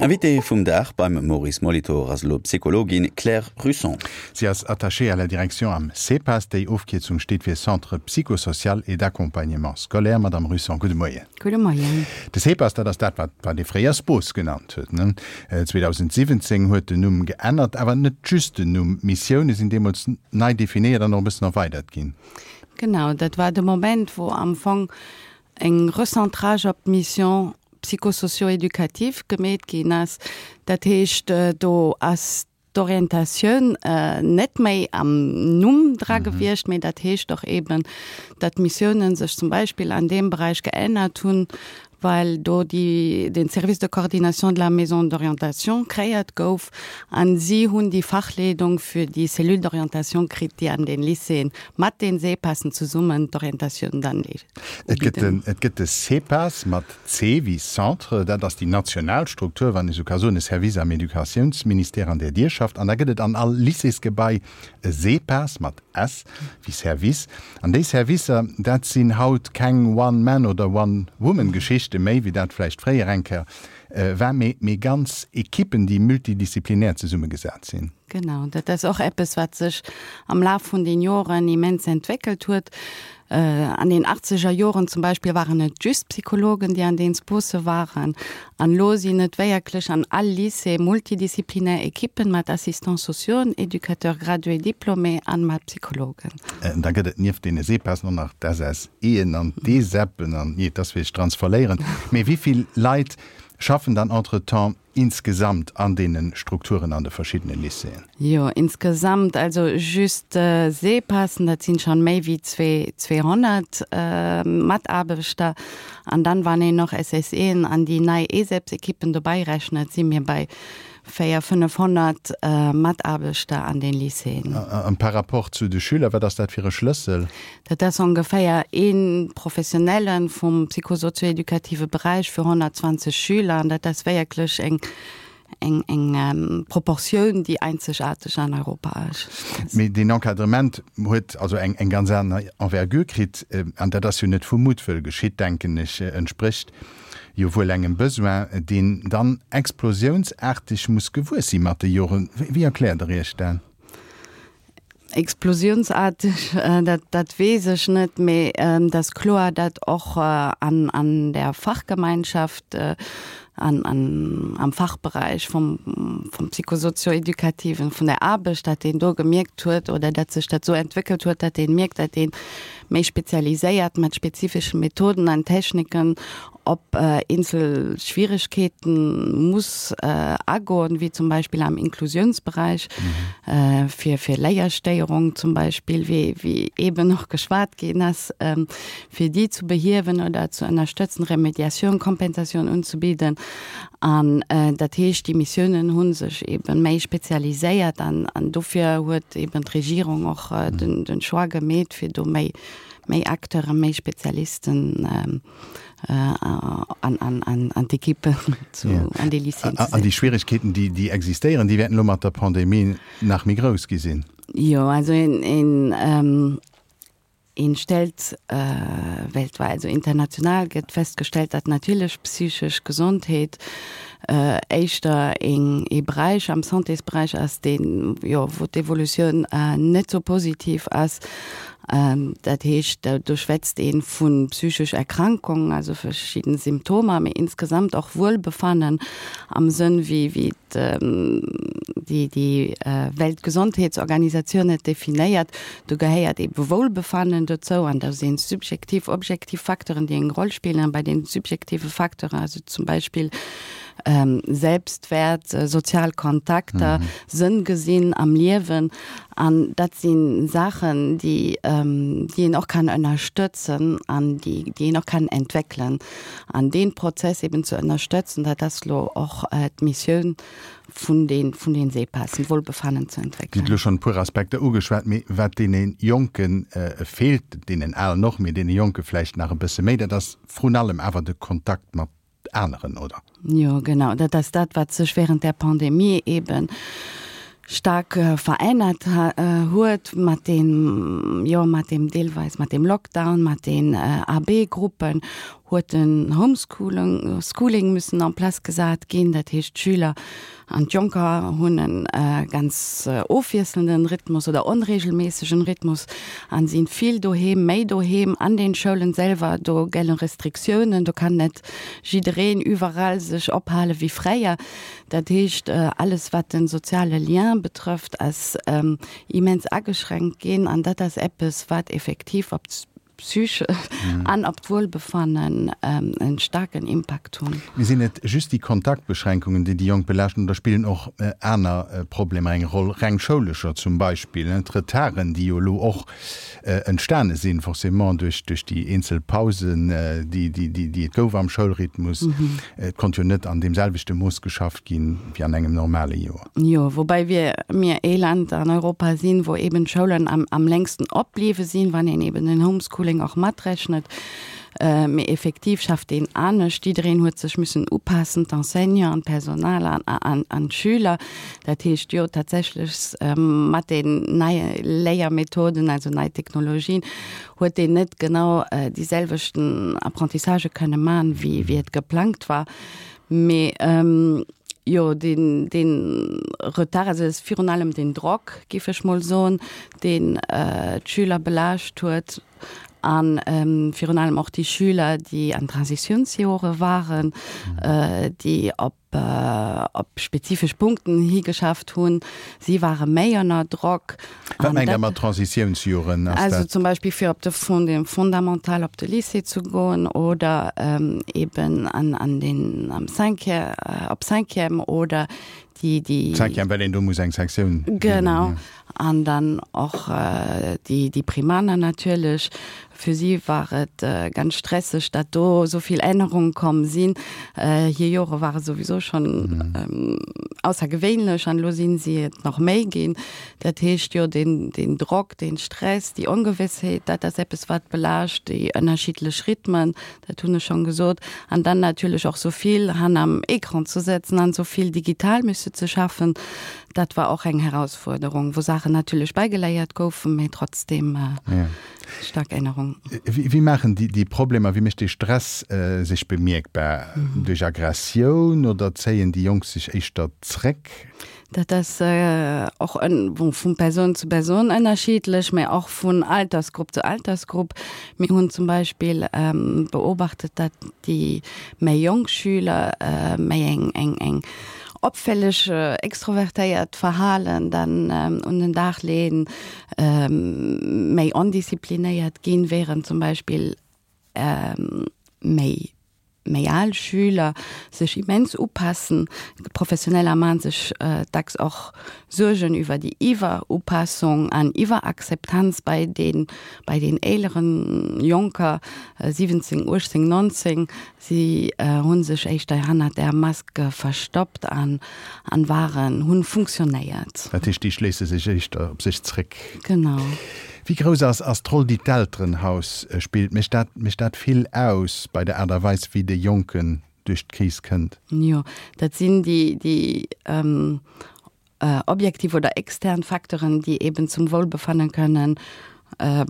Invitée vum Dag beim Maurice Molitor ass elo d'Psychologin Claire Russon. Si ass Attachée à la direction am CEPAS, déi Ofkierzung steet fir Centre psychosocial et d'accompagnement scolaire. Madame Russon, gudde Moien. Gudde Moien. De CEPAS, dat ass dat, wat wat ee fréier SPOS genannt huet, ne? 2017 huet den Numm geännert, awer net just den Numm, d'Missioune sinn deemools nei definéiert an och e bëssen erweidert ginn. Genau, dat war de Moment, wou am Fong eng Recentrage op d'Mission psychosocio-éducative gemeet ginn ass. Dat heescht, do ass d'Orientatioun net méi am Numm dra gewiescht, mee dat heescht och eeben, datt d'Missiounen sech zum Beispill an deem Beräich geännert hunn, well do déi, den Service de coordination de la maison d'orientation kreéiert gouf an si hunn déi Fachleedung fir déi Cellule d'orientation kritt, déi an den Lycéeën mat den SEPASen zesummen d'Orientatioun dann Et gëtt den, et gëtt de CEPAS mat C wéi Centre, dat ass déi national Struktur, wann ee sou ka soen, e Service am Educatiounsministère an där Dir schafft. An da gëtt et an all Lycéesgebai e SEPAS mat S wéi Service. An déi Servicer, dat sinn haut keng One-Man oder One-Woman-Geschichte méi, wéi dat vläicht fréier eng Kéier war, mee, mee ganz Ekippen, déi multidisziplinär zesummegesat sinn. Genau, dat ass och eppes, wat sech am Laf vun den Joren immens entwéckelt huet. An den achtzeger Joren zum Beispill waren et just Psychologen, déi an den Spose waren. An elo sinn et wéierklech an all Lycée multidisziplinär Ekippen mat Assistants sociaux, Éducateurs gradués diplômés an mat Psychologen. Da gëtt et nieft deene SEPASen och nach d'SSEen an d'ESEPen an, jee, et ass fir sech dran ze verléieren. Mee wéi vill Leit schaffen dann entretemps insgesamt an deene Strukturen an de verschiddene Lycéeën? Jo, insgesamt, also just SEPASen, dat sinn schonn méi wéi 200 Mataarbechter. An dann, wann een och SSEen an déi nei ESEPs-Ekippen dobäi rechnet, si mir bei 400, 500 Mataarbechter an den Lycéeën. An par rapport zu de Schüler, wat ass dat fir e Schlëssel? Dat ass ongeféier ee Professionelle vum psychosozioeducative Beräich fir 120 Schüler. An dat ass wierklech eng, eng, eng Proportioun, déi einzegaarteg an Europa ass. Mee deen Encadrement huet also eng, eng ganz aner Envergure kritt. An dat ass jo net vu Muttwëll geschitt, denken ech, entsprécht jo wuel engem Besoin, deen dann explosiounsaarteg muss gewuess si mat de Joren. Wéi erkläert Der Iech dat? Explosiounsaarteg, dat, dat weess ech net, mee et ass kloer, datt och an, an der Fachgemeinschaft, an, an am Fachberäich vum, vum Psychosozioeducativen, vun der Aarbecht, datt een do gemierkt huet oder datt sech dat esou entwéckelt huet, datt ee mierkt, datt ee méi spezialiséiert mat spezifesche Methoden an Techniken op eenzel Schwieregkeeten muss agoen, wéi zum Beispill am Inklusiounsberäich, fir fir Léierstéierung zum Beispill, wéi wéi eeben och geschwat ginn ass, fir déi zu behiewen oder ze ënnerstëtzen, Remédiatioun, Kompensatioun unzebidden. An dat heescht, déi Missiounen hu sech eebe méi spezialiséiert an an dofir huet eeben d'Regierung och den den Choix gemeet, fir do méi méi Acteuren, méi Spezialisten an, an, an, an d'Ekippen zu, an déi Lycéeën ze. An déi Schwieregkeeten, déi, déi existéieren, déi wäerten elo mat der Pandemie nach méi grouss gi sinn. Jo, also een, een, een stellt weltwäit, also international gëtt festgestellt, datt natierlech psychesch Gesondheet éischter een, ee Beräich am Santésberäich ass, deen, jo, wou d'Evolutioun net sou positiv ass. Dat heescht, do schwätzt ee vu psychesch Erkrankungen, also verschidden Symptomer, mee insgesamt och Wuelbefannen am Sënn wéi déi déi Weltgesondheetsorganisatioun et definéiert. Do gehéiert eebe Wohlbefannen dozou an da sinn subjektiv, objektiv Facteuren, déi eng Roll spillen. A bei den subjektive Facteuren, also zum Beispill Selbstwäert, sozial Kontakter, Sënn gesinn am Liewen, An dat si Saachen, déi, déi een och kann ënnerstëtzen an déi, déi een och kann entwéckelen. An dee Prozess eben ze ënnerstëtzen, dat ass elo och d'Missioun vun de, vun den SEPASen, d'Wohlbefannen ze Dir hutt entwéckelen. elo schonn e puer Aspekter ugeschwat, mee wat deene Jonke feelt, deenen Alen och, mee deene Jonke vläicht nach e bësse méi, dat ass vrun allem awer de Kontakt mat aneren, oder? Jo, genau. Dat ass dat, wat sech während der Pandemie eebe staark verännert huet mat deem, jo, mat deem deelweis mat deem Lockdown, mat den AB-Gruppen, Huet den Homeschooling Schooling müssen en place gesat ginn. Dat heescht, d'Schüler an d'Jonker hunn e ganz ofwiesselnden Rhythmus oder onregelméissegen Rhythmus an sinn vill doheem, méi doheem. An den Schoulen selwer, do gellen Restriktiounen, do kann net jiddereen iwwerall sech ophale wéi fréier. Dat heescht, alles wat den soziale Lien betrëfft ass immens ageschränkt ginn an dat ass eppes wat effektiv op Psyche an op d'Wuelbefannen en staarken Impakt hunn. Mee sinn et just déi Kontaktbeschränkungen, déi déi Jonk belaaschten, oder spillen och aner Problemer eng Roll, reng schoulescher zum Beispill, d'Retarden, déi jo elo och entstane sinn, forcément duerch déi eenzel Pausen, déi et gouf am Schoulrhythmus? Et konnt jo net an deem selwechte Mooss geschafft ginn, wéi an engem normale Joer. Jo, woubäi wir mir ee Land an Europa sinn, wou eben d'Schoulen am, am längsten opbliwwe sinn, wann een eben den Homeschooling och matrechnet. Mee effektiv schafft een anescht. Jiddereen huet sech müssen upassen, d'Enseignanten, d'Personal an, an, an d'Schüler. Dat heescht jo tatsächlech mat den neie Léiermethoden, also nei Technologien, huet een net genau déi selwechten Apprentissagë kënne man, wéi, wéi et geplangt war. Mee jo, deen, deen Retard, also et ass virun allem den Drock, géif ech mol soen, deen d'Schüler belaascht huet a virun allem och déi Schüler, déi an Transitiounsjore waren, déi op op spezifesch Punkten higeschafft hunn. Si ware méi ënner Drock. Wat mengt Der mat Transitiounsjoren? Ass dat. Also zum Beispill fir op de Fond, de Fondamental op de Lycée ze goen oder eben an, an den, am Cinquième, op Cinquième oder déi, déi. Cinquième, well een do muss eng Sektioun. Genau. An dann och déi, déi Primaner natierlech. Fir si war et ganz stresseg, dat do esou vill Ännerunge komm sinn. Hir Jore ware souwisou schonn aussergewéinlech an elo sinn si et nach méi ginn. Dat heescht, jo, deen, deen Drock, deen Stress, déi Ongewëssheet, dat ass eppes, wat belaascht, déi ënnerschiddlech Rhythmen, dat hunn ech schonn gesot. An dann natierlech och esou vill hannerm Ecran ze sëtzen an esou vill digital müsse ze schaffen, dat war och eng Herausfuerderung, wou Saachen natierlech bäigeléiert goufen, mee trotzdem staark Ännerung. Wéi maachen déi Problemer, wéi mécht dee Stress sech bemierkbar? Duerch Aggressioun oder zéien déi Jonk sech éischter zréck? Dat ass och vu Persoun zu Persoun ënnerschiddlech, mä och vun Altersgrupp zu Altersgrupp. Mir hunn zum Beispill beobachtet, datt déi méi jonk Schüler méi eng eng eng opfälleg extrovertéiert Verhalen dann un den Dag leeën, méi ondisziplinéiert ginn, während zum Beispill méi méi al Schüler sech immens upassen. Professioneller maachen sech dacks och Suergen iwwer déi Iwwerupassung an Iwwerakzeptanz bei den, bei den eeleren Jonker, 17, 18, 19. Si hu sech éischter hannert der Mask verstoppt an, an waren, hunn funktionéiert. Dat heescht, déi schléisse sech éischter op sech zréck. Genau. Wéi grouss ass ass d'Roll, déi d'Elterenhaus spillt? Mécht dat mécht dat vill aus bei der Aart a Weis, wéi de Jonken duerch d'Kris kënnt? Jo, dat sinn déi déi objektiv oder extern Facteuren, déi eben zum Wohlbefannen kënnen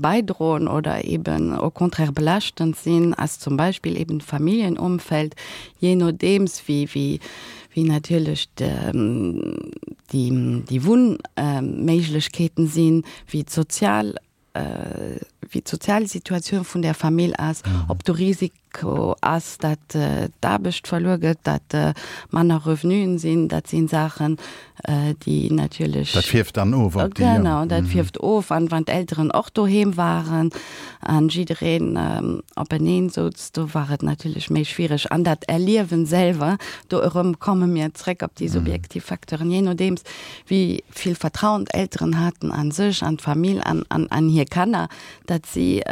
bäidroen oder eben au contraire belaaschtend sinn, ass zum Beispill eben d'Familljenumfeld, jee nodeems wéi wéi wéi natierlech déi déi Wunnméiglechkeeten sinn, wéi d'sozial wéi d'sozial Situatioun vun där Famill ass, ob do Risiko ass, dat d'Aarbecht verluer gëtt, dat manner Revenuen sinn. Dat si Saachen, déi natierlech. Dat fierft dann of op déi. Genau, dat fierft of. An wann d'Elteren och doheem waren an jiddereen openeen souz, do war et natierlech méi schwiereg. An dat Erliewen selwer, do erëm komme mir zréck op déi subjektiv Facteuren, jee nodeems wéi vill Vertrauen d'Elteren haten a sech, an d'Famill an an hir Kanner, datt si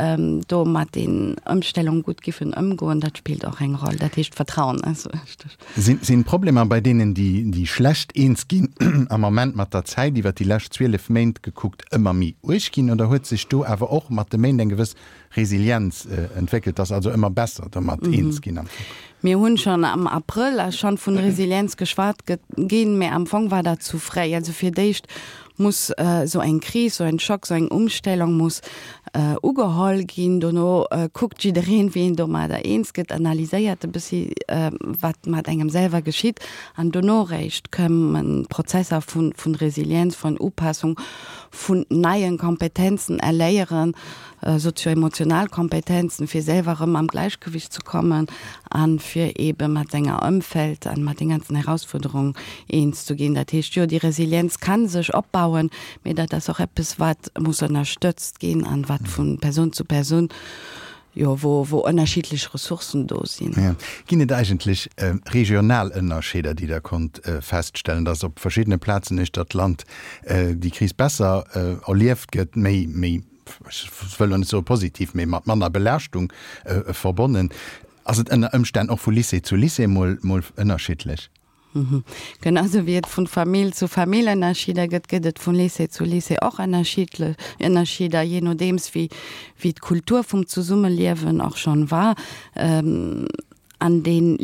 do mat den Ëmstellung gutt giffen ëmgoen, dat spillt och eng Roll. Dat heescht Vertrauen ass wichteg. Sinn d'Problemer bei deenen, déi déi schlecht eens ginn, am Ament mat der Zäit iwwer déi lescht 12 Méint gekuckt ëmmer méi uerg ginn oder huet sech do awer och mat de Méint eng gewëss Resilienz entwéckelt, ass also ëmmer besser domat eens ginn am Fong. Mir hunn schonn am Abrëll ass schonn vun Resilienz geschwat ginn, mä am Fong war dat zu fréi. Also fir d'éischt. muss esou eng Kris, esou en Schock, esou eng Umstellung muss ugeholl ginn. Dono kuckt jiddereen, wéi een domadder eens gëtt, analyséiert e bëssi, wat mat engem selwer geschitt an dono réischt kommen Prozesser vun Resilienz, vun Upassung, vun neien Kompetenzen erléieren, sozio-emotional Kompetenzen, fir selwer erëm am Gläichgewicht ze kommen a fir eebe mat senger Ëmfeld an mat den ganzen Herausfuerderungen eens ze ginn. Dat heescht, jo, déi Resilienz kann sech opbauen, mee dat ass och eppes, wat muss ënnerstëtzt ginn an wat vu Persoun zu Persoun, jo, wou, wou ënnerschiddlech Ressourcen do sinn. Jo. Ginn et eigentlech regional Ënnerscheeder, déi Der konnt feststellen, dass op verschiddene Plazen uechter d'Land déi Kris besser erlieft gëtt, méi, méi ech wëll elo net soe positiv, mee mat manner Belaaschtung verbonnen? Ass et ënner Ëmstänn och vu Lycée zu Lycée mol ënnerschiddlech? Genau sou wéi et vun Famill zu Famill Ënnerscheeder gëtt, gëtt et vun Lycée zu Lycée och Ënnerscheeder, jee nodeems wéi wéi d'Kultur vum Zesummeliewen och schonn war. An den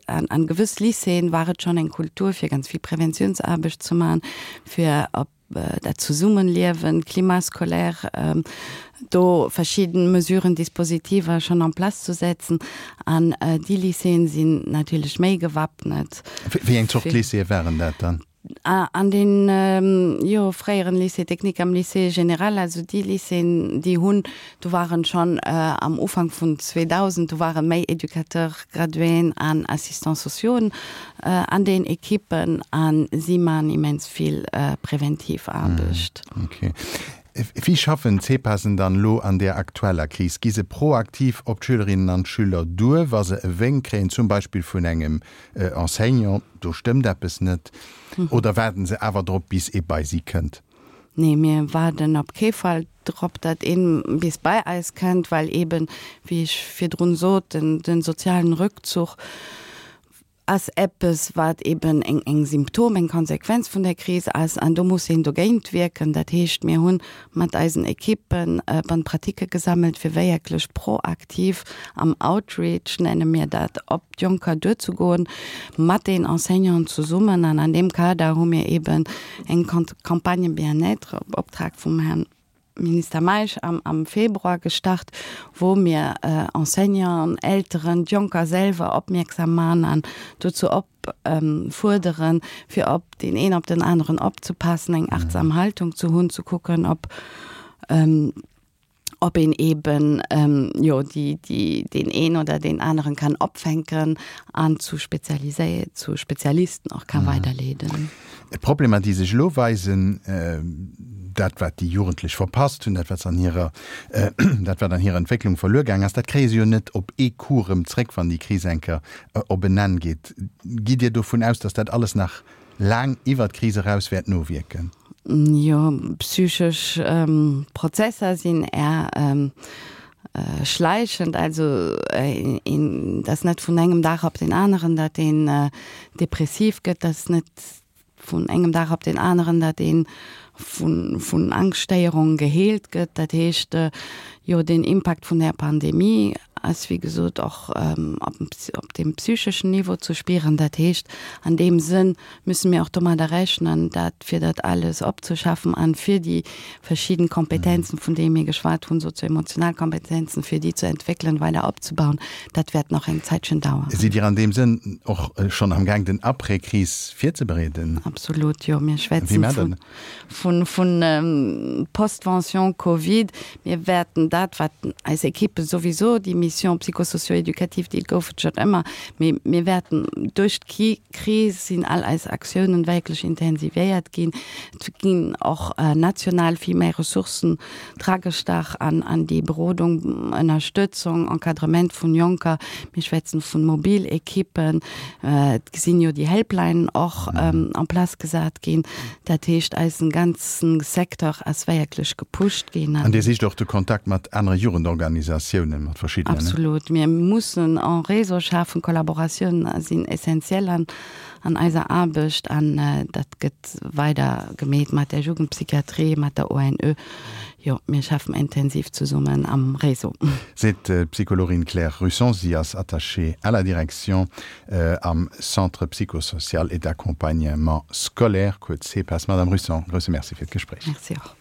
an gewëss Lycéeën war et schonn eng Kultur fir ganz vill Preventiounsaarbecht ze man, fir op dat Zesummenliewen, Climat scolaire, do verschidden Mesuren, Dispositiver schonn en place zu setzen. An déi Lycéeën sinn natierlech méi gewappnet. Wéi eng Zort Lycéeë waren dat dann? An den, jo, fréieren Lycée technique, am Lycée général, also déi Lycéeën, déi hunn, do waren schonn am Ufank vun 2000, do ware méi Éducateurs graduéen an Assistants sociauxen an den Ekippen a si man immens vill präventiv Aarbecht. Ok. Wéi schaffen d'CPASen dann elo an där aktueller Kris? Gi se proaktiv op d'Schülerinnen an d'Schüler duer, wa se e Wénk kréien, zum Beispill vun engem Enseignant, do stëmmt eppes net, oder waarden se awer drop, bis ee bei si kënnt? Nee, mir waarden op kee Fall drop, datt een bis bei eis kënnt, well eben, wéi ech virdrun sot, den, den sozialen Rückzuch ass eppes, wat eben eng, eng Symptom, eng Konsequenz vun der Kris ass an do muss een dogéint wierken. Dat heescht, mir hunn mat eisen Ekippen Bonnes pratiques gesammelt, fir wéierklech proaktiv am Outreach, nenne mir dat, op d'Jonker duerzegoen, mat den Enseignanten zesummen. An an deem Kader hu mir eben eng Campagne Bien-être op Optrag vum Här Minister Meisch am Februar gestart, wou mir Enseignanten, Elteren, d'Jonker selwer opmierksam man an dozou opfuerderen, fir op deen een op den aneren opzepassen, eng achtsam Haltung ze hunn, ze kucken, ob ob een eben jo déi déi deen een oder deen aneren kann opfänken an zu spezialisé zu Spezialisten och ka weiderleeden. D'Problemer, déi sech elo weisen, dat wat déi Jugendlech verpasst hunn, dat wat se an hirer dat wat an hirer Entwécklung verluer gaang ass, dat kréie se jo net op ee Coup erëm zréck, wann déi Kris eng Kéier op en Enn geet. Gitt Dir dovun aus, datt dat alles nach laang iwwer d'Kris eraus wäert nowierken? Jo, psychesch Prozesser sinn är schleichend, also een, dat ass net vun engem Dag op deen aneren, dat een depressiv gëtt, dat ass net vun engem Dag op deen aneren, dat een vun, vun Angschtstéierung geheelt gëtt. Dat heescht, jo, den Impakt vun där Pandemie ass wéi gesot och op deem psycheschen Niveau ze spieren. Dat heescht, an deem Sënn müsse mir och domadder rechnen, dat fir dat alles opzeschaffen an fir déi verschidden Kompetenzen, vun deene mir geschwat hunn, sozio-emotional Kompetenzen, fir déi ze entwéckelen, weider opzebauen, dat wäert nach eng Zäitchen daueren. Sidd Dir an deem Sënn och schonn am Gaang, den Après-Kris virzebereeden? Absolut, jo. Mir schwätzen vun, vun Postvention Covid. Mir wäerten dat, wat eis Ekippe souwisou, déi Mission psychosocio-éducative, déi gouf et schonn ëmmer, mee mir wäerten duerch d'Kris sinn all eis Aktiounen wierklech intensivéiert ginn. Et ginn och national vill méi Ressourcen dragestach an an déi Berodung, Ënnerstëtzung, Encadrement vun Jonker. Mir schwätzen vun mobil Ekippen. Et sinn jo déi Helplinen och en place gesat ginn. Dat heescht, eisen ganzen Secteur ass wierklech gepusht ginn. An Dir sicht och de Kontakt mat anere Jugendorganisatiounen, mat verschiddenen? Absolut. Mir mussen en Réseau schafen. Kollaboratiounen sinn essentiell an an eiser Aarbecht an dat gëtt weider gemeet mat der Jugendpsychiatrie, mat der ONE. Jo, mir schaffen intensiv zesummen am Réseau. Seet d'Psychologin Claire Russon. Si ass Attachée à la direction am Centre psychosocial et d'accompagnement scolaire, kuerz CEPAS. Madame Russon, grousse Merci fir d'Gespréich. Merci och.